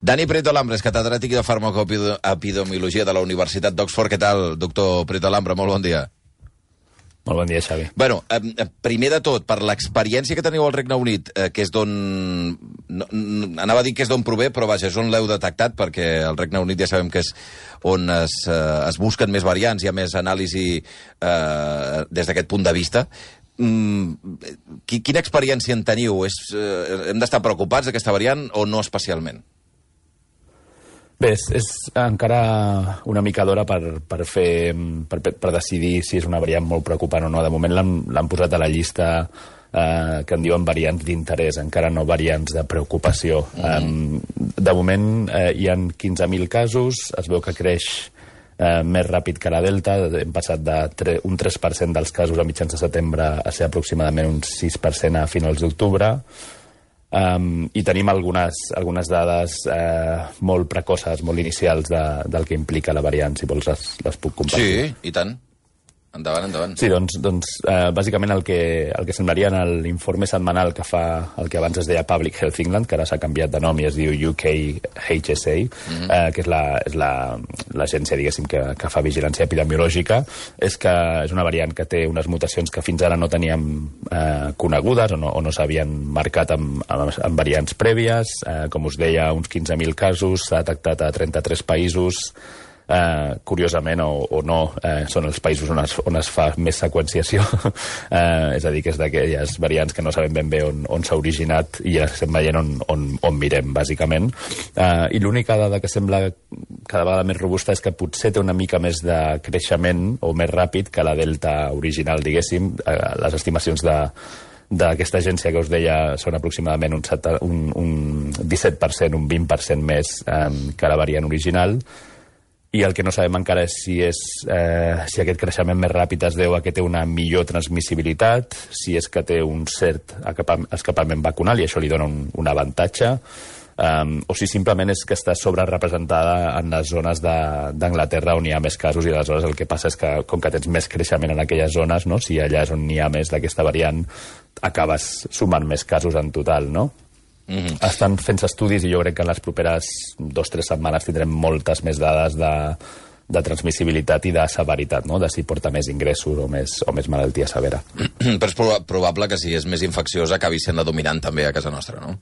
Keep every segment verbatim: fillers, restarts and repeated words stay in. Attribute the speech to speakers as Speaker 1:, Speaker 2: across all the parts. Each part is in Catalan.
Speaker 1: Dani Prieto Lambra és catedràtic de farmacoepidemiologia de la Universitat d'Oxford. Què tal, doctor Prieto Lambra? Molt bon dia.
Speaker 2: Molt bon dia, Xavi.
Speaker 1: Bueno, eh, primer de tot, per l'experiència que teniu al Regne Unit, eh, que és d'on... No, anava a dir que és d'on prové, però vaja, és on l'heu detectat, perquè al Regne Unit ja sabem que és on es, eh, es busquen més variants, hi ha més anàlisi eh, des d'aquest punt de vista. Mm, quina experiència en teniu? És, eh, hem d'estar preocupats d'aquesta variant o no especialment?
Speaker 2: Bé, és, és encara una mica d'hora per, per, fer, per, per decidir si és una variant molt preocupant o no. De moment l'han posat a la llista eh, que en diuen variants d'interès, encara no variants de preocupació. Mm-hmm. um, de moment eh, hi ha quinze mil casos, es veu que creix eh, més ràpid que la Delta, hem passat de tre, un tres per cent dels casos a mitjans de setembre a ser aproximadament un sis per cent a finals d'octubre. Um, I tenim algunes, algunes dades eh, molt precoces, molt inicials de, del que implica la variant, si vols les, les puc compartir.
Speaker 1: Sí, i tant. Endavant, endavant.
Speaker 2: Sí, doncs, doncs eh, bàsicament el que, el que semblaria en l'informe setmanal que fa el que abans es deia Public Health England, que ara s'ha canviat de nom i es diu U K H S A, mm-hmm. eh, que és l'agència, la, diguéssim, que, que fa vigilància epidemiològica, és que és una variant que té unes mutacions que fins ara no teníem eh, conegudes o no, o no s'havien marcat amb, amb, amb variants prèvies. Eh, com us deia, uns quinze mil casos, s'ha detectat a trenta-tres països. Uh, curiosament o, o no, uh, són els països on es, on es fa més seqüenciació, uh, és a dir, que és d'aquelles variants que no sabem ben bé on, on s'ha originat i ja estem veient on, on, on mirem, bàsicament. Uh, I l'única dada que sembla cada vegada més robusta és que potser té una mica més de creixement o més ràpid que la Delta original, diguéssim. Uh, les estimacions de d'aquesta agència que us deia són aproximadament un, set, un, un disset per cent, un vint per cent més um, que la variant original. I el que no sabem encara és si, és, eh, si aquest creixement més ràpid es deu a que té una millor transmissibilitat, si és que té un cert escapament vacunal i això li dona un, un avantatge, um, o si simplement és que està sobrerepresentada en les zones d'Anglaterra on hi ha més casos i aleshores el que passa és que com que tens més creixement en aquelles zones, no? Si allà és on hi ha més d'aquesta variant, acabes sumant més casos en total, no? Mm-hmm. Estan fent estudis i jo crec que en les properes dos o tres setmanes tindrem moltes més dades de, de transmissibilitat i de severitat, no? De si porta més ingressos o més, o més malaltia severa.
Speaker 1: Però és proba probable que si és més infecciosa acabi sent la dominant també a casa nostra, no?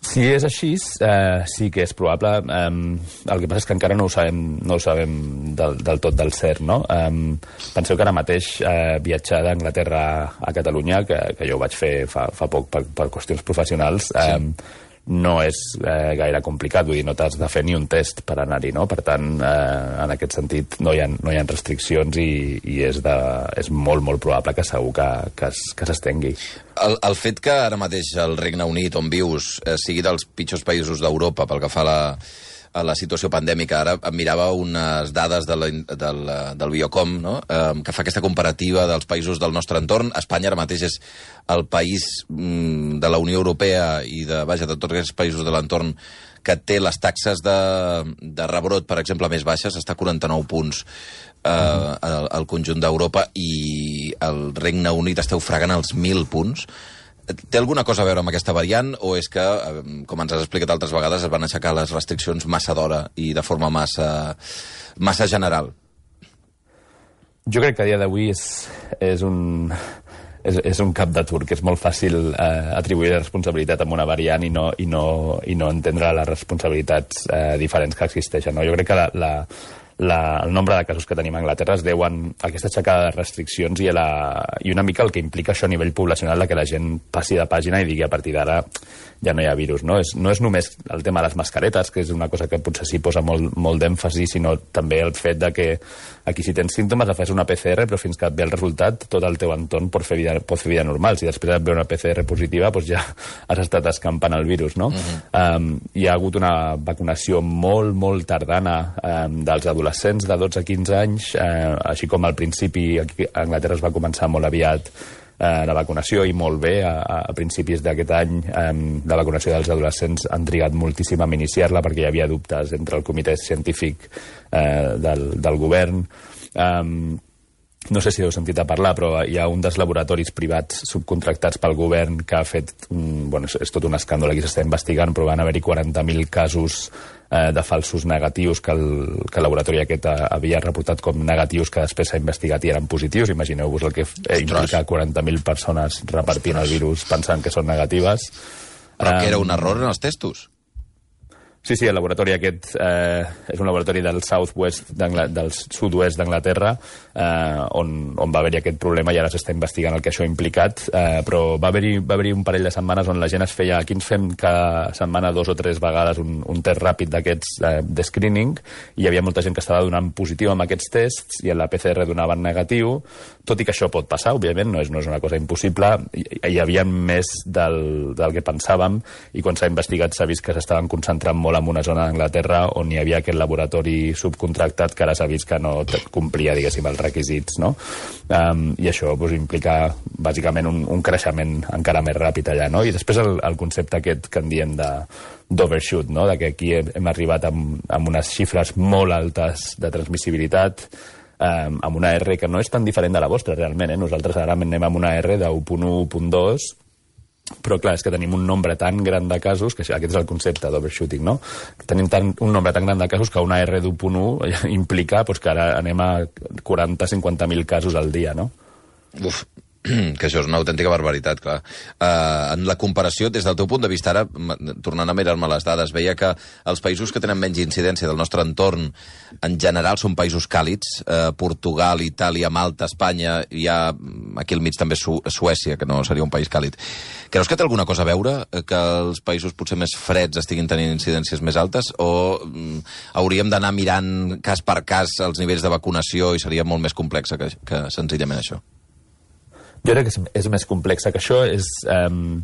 Speaker 2: Si és així, eh, sí que és probable. Um, el que passa és que encara no ho sabem, no ho sabem del, del tot del cert, no? Um, penseu que ara mateix eh, viatjar d'Anglaterra a Catalunya, que, que jo ho vaig fer fa, fa poc per, per qüestions professionals, sí. um, no és eh, gaire complicat, vull dir, no t'has de fer ni un test per anar-hi, no? Per tant, eh, en aquest sentit, no hi ha, no hi ha restriccions i, i és, de, és molt, molt probable que segur que, que, es, que s'estengui.
Speaker 1: El, el fet que ara mateix el Regne Unit, on vius, eh, sigui dels pitjors països d'Europa pel que fa a la, a la situació pandèmica, ara em mirava unes dades de la, del, del Biocom, no? eh, que fa aquesta comparativa dels països del nostre entorn. Espanya ara mateix és el país mm, de la Unió Europea i de, vaja, de tots aquests països de l'entorn que té les taxes de, de rebrot, per exemple, més baixes, està a quaranta-nou punts eh, al, al conjunt d'Europa i el Regne Unit està ofegant els mil punts. Té alguna cosa a veure amb aquesta variant o és que, com ens has explicat altres vegades, es van aixecar les restriccions massa d'hora i de forma massa, massa general?
Speaker 2: Jo crec que a dia d'avui és, és, un, és, és un cap de turc. És molt fàcil eh, atribuir responsabilitat a una variant i no, i no, i no entendre les responsabilitats eh, diferents que existeixen, no? Jo crec que la, la, la, el nombre de casos que tenim a Anglaterra es deuen a aquesta aixecada de restriccions i, a la, i una mica el que implica això a nivell poblacional, de que la gent passi de pàgina i digui a partir d'ara ja no hi ha virus, no? És, no és només el tema de les mascaretes, que és una cosa que potser s'hi posa molt, molt d'èmfasi, sinó també el fet de que aquí si tens símptomes fas una P C R, però fins que et ve el resultat tot el teu entorn pot fer vida, pot fer vida normal. Si després et ve una P C R positiva, doncs ja has estat escampant el virus, no? Uh-huh. um, hi ha hagut una vacunació molt, molt tardana um, dels adolescents de dotze a quinze anys, uh, així com al principi aquí a Anglaterra es va començar molt aviat eh, la vacunació i molt bé. A, a principis d'aquest any eh, la vacunació dels adolescents han trigat moltíssim a iniciar-la perquè hi havia dubtes entre el comitè científic eh, del, del govern. Eh, no sé si heu sentit a parlar, però hi ha un dels laboratoris privats subcontractats pel govern que ha fet, un, bueno, és tot un escàndol, aquí s'està investigant, però van haver-hi quaranta mil casos eh, de falsos negatius que el, que el laboratori aquest havia reportat com negatius que després s'ha investigat i eren positius. Imagineu-vos el que eh, implica quaranta mil persones repartint el virus pensant que són negatives.
Speaker 1: Però um, que era un error en els testos?
Speaker 2: Sí, sí, el laboratori aquest eh, és un laboratori del Southwest del sud-oest d'Anglaterra eh, on, on va haver-hi aquest problema i ara s'està investigant el que això ha implicat, eh, però va haver-hi va haver un parell de setmanes on la gent es feia, aquí ens fem cada setmana dos o tres vegades un, un test ràpid d'aquests eh, de screening, i hi havia molta gent que estava donant positiu amb aquests tests i en la P C R donaven negatiu, tot i que això pot passar, òbviament, no és, no és una cosa impossible, hi, hi havia més del, del que pensàvem, i quan s'ha investigat s'ha vist que s'estaven concentrant molt en una zona d'Anglaterra on hi havia aquest laboratori subcontractat que ara s'ha vist que no complia, diguéssim, els requisits, no? Um, I això pues, implica, bàsicament, un, un creixement encara més ràpid allà, no? I després el, el concepte aquest que en diem de d'overshoot, no? De que aquí hem, hem arribat amb, amb unes xifres molt altes de transmissibilitat, um, amb una R que no és tan diferent de la vostra, realment, eh? Nosaltres ara anem amb una R de u punt u, u punt dos, però clar, és que tenim un nombre tan gran de casos, que aquest és el concepte d'overshooting, no? Tenim tan, un nombre tan gran de casos que una R d'u punt u implica pues, que ara anem a quaranta a cinquanta mil casos al dia, no?
Speaker 1: Uf, que això és una autèntica barbaritat, clar. Uh, en la comparació, des del teu punt de vista, ara, tornant a mirar-me les dades, veia que els països que tenen menys incidència del nostre entorn, en general, són països càlids. Uh, Portugal, Itàlia, Malta, Espanya, hi ha aquí al mig també Su Suècia, que no seria un país càlid. Creus que té alguna cosa a veure que els països potser més freds estiguin tenint incidències més altes, o um, hauríem d'anar mirant cas per cas els nivells de vacunació i seria molt més complex que, que senzillament això?
Speaker 2: Jo crec que és, és més complexa que això. És, um,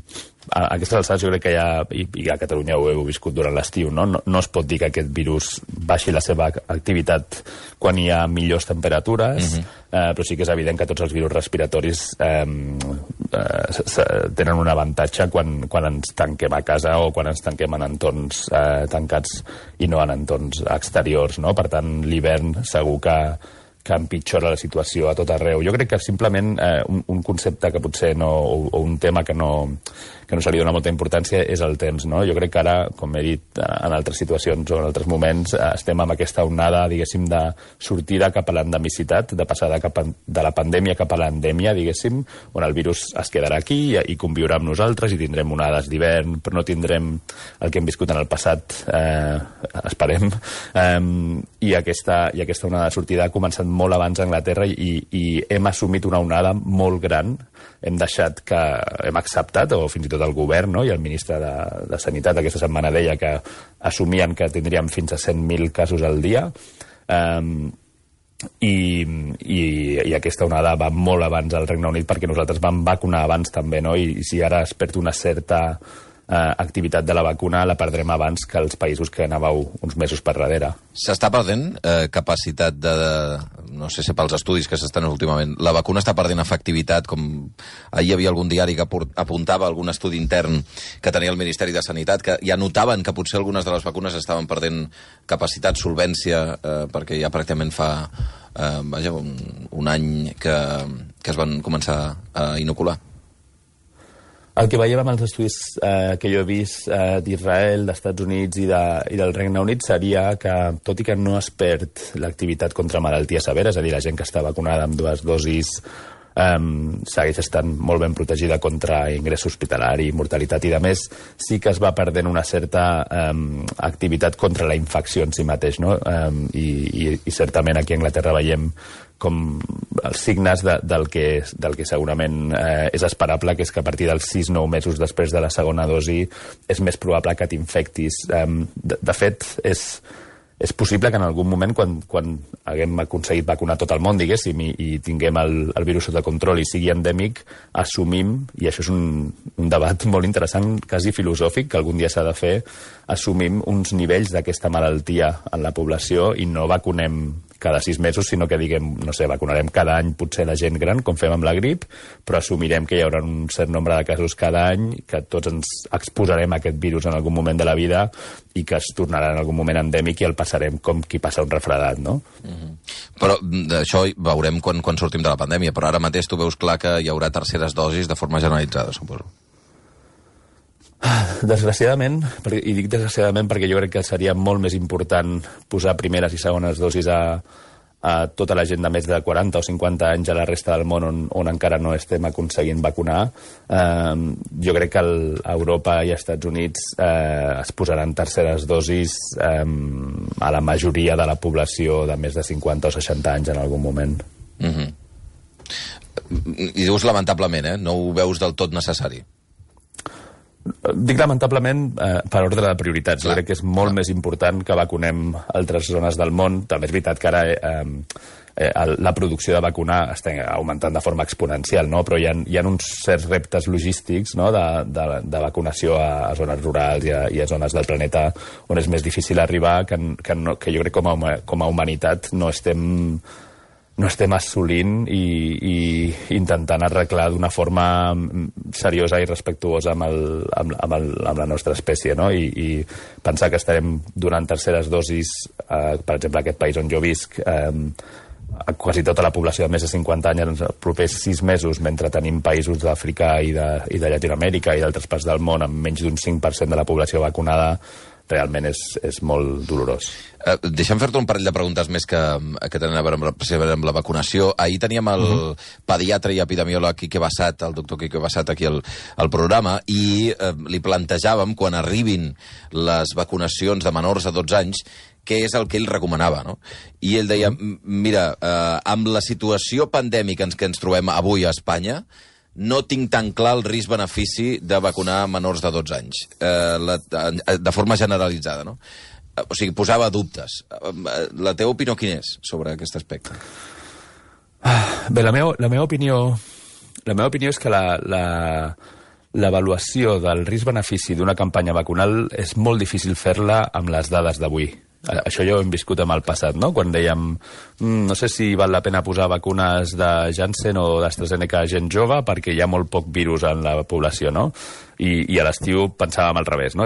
Speaker 2: a, a aquestes alçades jo crec que ja, i, i a Catalunya ho heu viscut durant l'estiu, no? No, no es pot dir que aquest virus baixi la seva activitat quan hi ha millors temperatures, uh-huh. eh, però sí que és evident que tots els virus respiratoris eh, eh, tenen un avantatge quan, quan ens tanquem a casa o quan ens tanquem en entorns eh, tancats i no en entorns exteriors, no? Per tant, l'hivern segur que que empitjora la situació a tot arreu. Jo crec que simplement eh, un, un concepte que potser no, o, o un tema que no, que no se li dona molta importància és el temps, no? Jo crec que ara, com he dit en altres situacions o en altres moments, eh, estem amb aquesta onada, diguéssim, de sortida cap a l'endemicitat, de passar de, cap a, de la pandèmia cap a l'endèmia, diguéssim, on el virus es quedarà aquí i, i conviurà amb nosaltres i tindrem onades d'hivern, però no tindrem el que hem viscut en el passat, eh, esperem, eh, i, aquesta, i aquesta onada de sortida ha començat molt abans a Anglaterra i, i hem assumit una onada molt gran. Hem deixat que hem acceptat, o fins i tot el govern, no? I el ministre de, de Sanitat aquesta setmana deia que assumien que tindríem fins a cent mil casos al dia, um, i, i, i aquesta onada va molt abans al Regne Unit perquè nosaltres vam vacunar abans també, no? I, i si ara es perd una certa Eh, activitat de la vacuna la perdrem abans que els països que anàveu uns mesos per darrere.
Speaker 1: S'està perdent eh, capacitat de, de... No sé si pels estudis que s'estan últimament. La vacuna està perdent efectivitat, com ahir hi havia algun diari que apuntava algun estudi intern que tenia el Ministeri de Sanitat, que ja notaven que potser algunes de les vacunes estaven perdent capacitat, solvència, eh, perquè ja pràcticament fa eh, vaja, un, un any que, que es van començar a inocular.
Speaker 2: El que veiem amb els estudis eh, que jo he vist eh, d'Israel, d'Estats Units i, de, i del Regne Unit seria que, tot i que no es perd l'activitat contra malalties severes, és a dir, la gent que està vacunada amb dues dosis eh, segueix estant molt ben protegida contra ingrés hospitalari, mortalitat i de més, sí que es va perdent una certa eh, activitat contra la infecció en si mateix, no? Eh, i, i, I certament aquí a Anglaterra veiem com els signes de, del, que, del que segurament eh, és esperable, que és que a partir dels sis a nou mesos després de la segona dosi és més probable que t'infectis. Eh, de, de fet, és, és possible que en algun moment, quan, quan haguem aconseguit vacunar tot el món, diguéssim, i, i tinguem el, el virus sota control i sigui endèmic, assumim, i això és un, un debat molt interessant, quasi filosòfic, que algun dia s'ha de fer, assumim uns nivells d'aquesta malaltia en la població i no vacunem cada sis mesos, sinó que diguem, no sé, vacunarem cada any potser la gent gran, com fem amb la grip, però assumirem que hi haurà un cert nombre de casos cada any, que tots ens exposarem a aquest virus en algun moment de la vida i que es tornarà en algun moment endèmic i el passarem com qui passa un refredat, no?
Speaker 1: Mm-hmm. Però això veurem quan, quan sortim de la pandèmia, però ara mateix tu veus clar que hi haurà terceres dosis de forma generalitzada, suposo.
Speaker 2: Desgraciadament, i dic desgraciadament perquè jo crec que seria molt més important posar primeres i segones dosis a, a tota la gent de més de quaranta o cinquanta anys a la resta del món on, on encara no estem aconseguint vacunar. Eh, jo crec que el, a Europa i als Estats Units eh, es posaran terceres dosis eh, a la majoria de la població de més de cinquanta o seixanta anys en algun moment.
Speaker 1: Mm-hmm. I dius lamentablement, eh? No ho veus del tot necessari.
Speaker 2: Dic lamentablement eh, per ordre de prioritats. Clar, crec que és molt clar. Més important que vacunem altres zones del món. També és veritat que ara eh, eh, la producció de vacunar està augmentant de forma exponencial, no? Però hi ha, hi ha uns certs reptes logístics, no? de, de, de vacunació a, a zones rurals i a, i a zones del planeta on és més difícil arribar, que, que, no, que jo crec que com a, com a humanitat no estem... no estem assolint i, i intentant arreglar d'una forma seriosa i respectuosa amb, el, amb, amb, el, amb la nostra espècie, no? I, i pensar que estarem donant terceres dosis, eh, per exemple, aquest país on jo visc, eh, a quasi tota la població de més de cinquanta anys en els propers sis mesos, mentre tenim països d'Àfrica i de, i de Llatinoamèrica i d'altres parts del món amb menys d'un cinc per cent de la població vacunada, realment és, és molt dolorós.
Speaker 1: Uh, deixa'm fer-te un parell de preguntes més que, que tenen a veure amb, amb la vacunació. Ahir teníem el uh-huh. pediatre i epidemiòleg Quique Bassat, el doctor Quique Bassat, aquí al, al programa, i uh, li plantejàvem, quan arribin les vacunacions de menors de dotze anys, què és el que ell recomanava, no? I ell deia, mira, uh, amb la situació pandèmica en què ens trobem avui a Espanya, no tinc tan clar el risc-benefici de vacunar menors de dotze anys, eh, la, de forma generalitzada, no? O sigui, posava dubtes. La teva opinió quina és sobre aquest aspecte?
Speaker 2: Bé, la meva, la meva opinió la meva opinió és que la, la, l'avaluació del risc-benefici d'una campanya vacunal és molt difícil fer-la amb les dades d'avui. Això ja ho hem viscut amb el passat, no? Quan dèiem, mm, no sé si val la pena posar vacunes de Janssen o d'AstraZeneca a gent jove perquè hi ha molt poc virus en la població, no? I, i a l'estiu pensàvem al revés, no?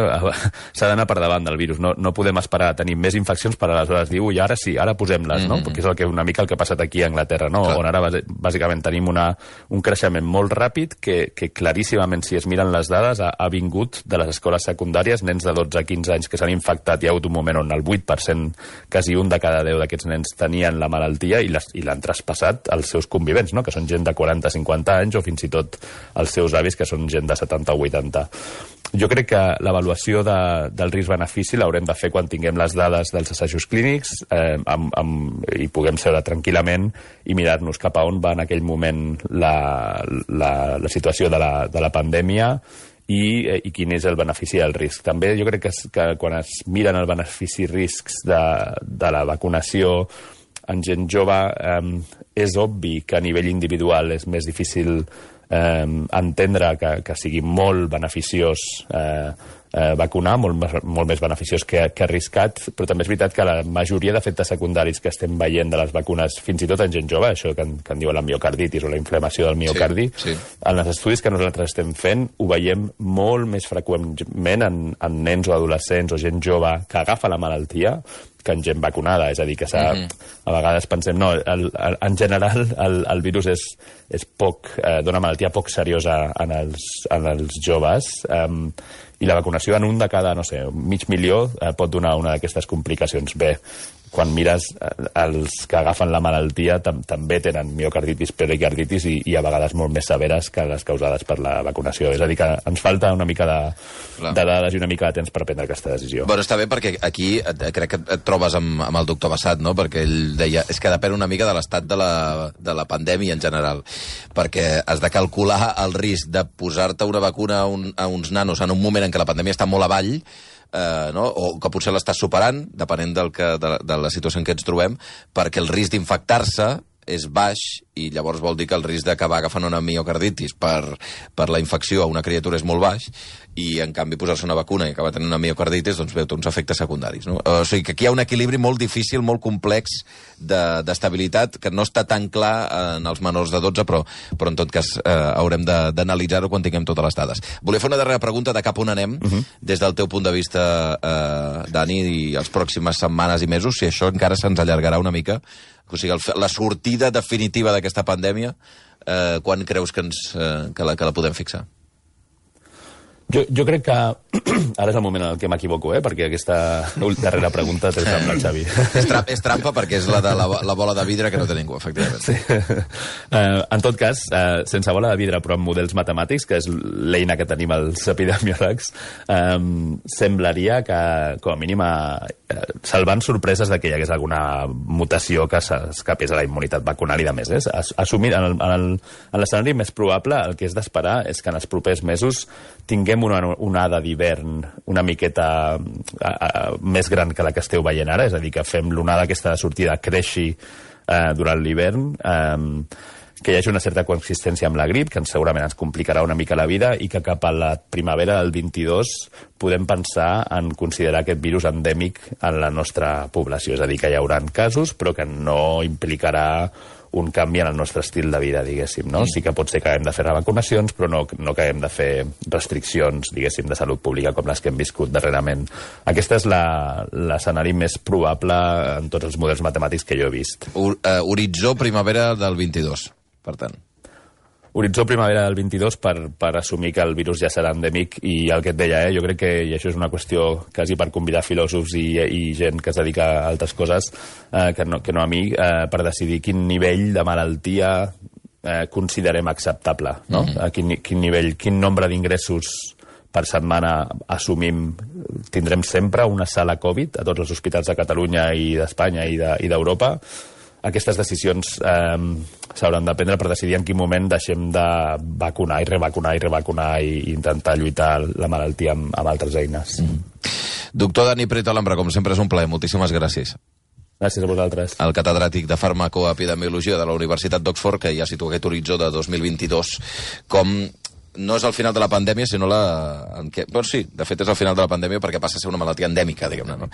Speaker 2: S'ha d'anar per davant del virus, no, no podem esperar a tenir més infeccions per aleshores dir, ui, ara sí, ara posem-les, no? Mm-hmm. Perquè és el que, una mica el que ha passat aquí a Anglaterra, no? Clar. On ara bàsicament tenim una, un creixement molt ràpid que, que claríssimament, si es miren les dades, ha, ha vingut de les escoles secundàries, nens de dotze a quinze anys que s'han infectat. Hi ha hagut un moment on el vuit per cent, quasi un de cada deu d'aquests nens tenien la malaltia i l'han traspassat als seus convivents, no? Que són gent de quaranta a cinquanta anys o fins i tot els seus avis, que són gent de setanta o vuitanta. Jo crec que l'avaluació de, del risc-benefici l'haurem de fer quan tinguem les dades dels assajos clínics eh, amb, amb, i puguem seure tranquil·lament i mirar-nos cap a on va en aquell moment la, la, la situació de la, de la pandèmia i, eh, i quin és el benefici del risc. També jo crec que, que quan es miren el benefici-riscs de, de la vacunació en gent jove, eh, és obvi que a nivell individual és més difícil Eh, entendre que, que sigui molt beneficiós eh, eh, vacunar, molt, molt més beneficiós que, que arriscat, però també és veritat que la majoria d'efectes secundaris que estem veient de les vacunes, fins i tot en gent jove, això que en, que en diuen la miocarditis o la inflamació del miocardi, sí, sí. En els estudis que nosaltres estem fent ho veiem molt més freqüentment en, en nens o adolescents o gent jove que agafa la malaltia que en gent vacunada, és a dir, que mm-hmm. a vegades pensem, no, el, el, en general el, el virus és, és poc, eh, d'una malaltia poc seriosa en els, en els joves, eh, i la vacunació en un de cada, no sé, mig milió eh, pot donar una d'aquestes complicacions. Bé, quan mires eh, els que agafen la malaltia tam també tenen miocarditis, pericarditis i, i a vegades molt més severes que les causades per la vacunació. És a dir, que ens falta una mica de, de dades i una mica de temps per prendre aquesta decisió.
Speaker 1: Bueno, està bé perquè aquí et, crec que et trobes amb, amb el doctor Bassat, no? Perquè ell deia, és que depèn una mica de l'estat de, la, de la pandèmia en general, perquè has de calcular el risc de posar-te una vacuna a, un, a uns nanos en un moment en què la pandèmia està molt avall, eh, no? O que potser l'estàs superant, depenent del que, de, de la situació en què ens trobem, perquè el risc d'infectar-se és baix, i llavors vol dir que el risc d'acabar agafant una miocarditis per, per la infecció a una criatura és molt baix, i en canvi posar-se una vacuna i acabar tenint una miocarditis, doncs veu uns efectes secundaris, no? O sigui que aquí hi ha un equilibri molt difícil, molt complex d'estabilitat, que no està tan clar en els menors de dotze, però, però en tot cas eh, haurem d'analitzar-ho quan tinguem totes les dades. Volia fer una darrera pregunta de cap on anem, uh -huh. des del teu punt de vista, eh, Dani, i les pròximes setmanes i mesos, si això encara se'ns allargarà una mica. O sigui, el, la sortida definitiva d'aquesta pandèmia, eh, quan creus que, ens, eh, que, la, que la podem fixar?
Speaker 2: Jo, jo crec que ara és el moment en què m'equivoco, eh? Perquè aquesta darrera pregunta té amb la Xavi.
Speaker 1: És, tra és trampa perquè és la de la, la bola de vidre que no té ningú, efectivament.
Speaker 2: Sí. Uh, en tot cas, uh, sense bola de vidre, però amb models matemàtics, que és l'eina que tenim els epidemiòlegs, um, semblaria que, com a mínim, uh, salvant sorpreses de que hi hagués alguna mutació que s'escapés a la immunitat vacunal i de més. Eh? Assumir, en l'escenari més probable, el que és d'esperar és que en els propers mesos tinguem una onada d'hivern una miqueta a, a, més gran que la que esteu veient ara, és a dir, que fem l'onada aquesta de sortida creixi eh, durant l'hivern, eh, que hi hagi una certa consistència amb la grip, que segurament ens complicarà una mica la vida, i que cap a la primavera del vint-i-dos podem pensar en considerar aquest virus endèmic en la nostra població. És a dir, que hi haurà casos, però que no implicarà un canvi en el nostre estil de vida, diguéssim, no? Sí que pot ser que haguem de fer revacunacions, però no, no que haguem de fer restriccions, diguéssim, de salut pública com les que hem viscut darrerament. Aquest és l'escenari més probable en tots els models matemàtics que jo he vist.
Speaker 1: Ur, uh, horitzó primavera del vint-i-dos, per tant.
Speaker 2: Horitzó primavera del vint-i-dos per, per assumir que el virus ja serà endèmic, i el que et deia, eh, jo crec que, i això és una qüestió quasi per convidar filòsofs i, i gent que es dedica a altres coses, eh, que, no, que no a mi, eh, per decidir quin nivell de malaltia eh, considerem acceptable, no? Mm-hmm. A quin, quin nivell, quin nombre d'ingressos per setmana assumim. Tindrem sempre una sala Covid a tots els hospitals de Catalunya i d'Espanya i d'Europa. De, Aquestes decisions eh, s'hauran de prendre per decidir en quin moment deixem de vacunar i revacunar i revacunar i intentar lluitar la malaltia amb, amb altres eines. Mm.
Speaker 1: Doctor Dani Prieto Alhambra, com sempre és un plaer. Moltíssimes gràcies.
Speaker 2: Gràcies a vosaltres.
Speaker 1: El catedràtic de farmacoepidemiologia de la Universitat d'Oxford, que ja situa aquest horitzó de dos mil vint-i-dos com no és el final de la pandèmia, sinó la... En què... Bueno, sí, de fet és el final de la pandèmia perquè passa a ser una malaltia endèmica, diguem-ne, no?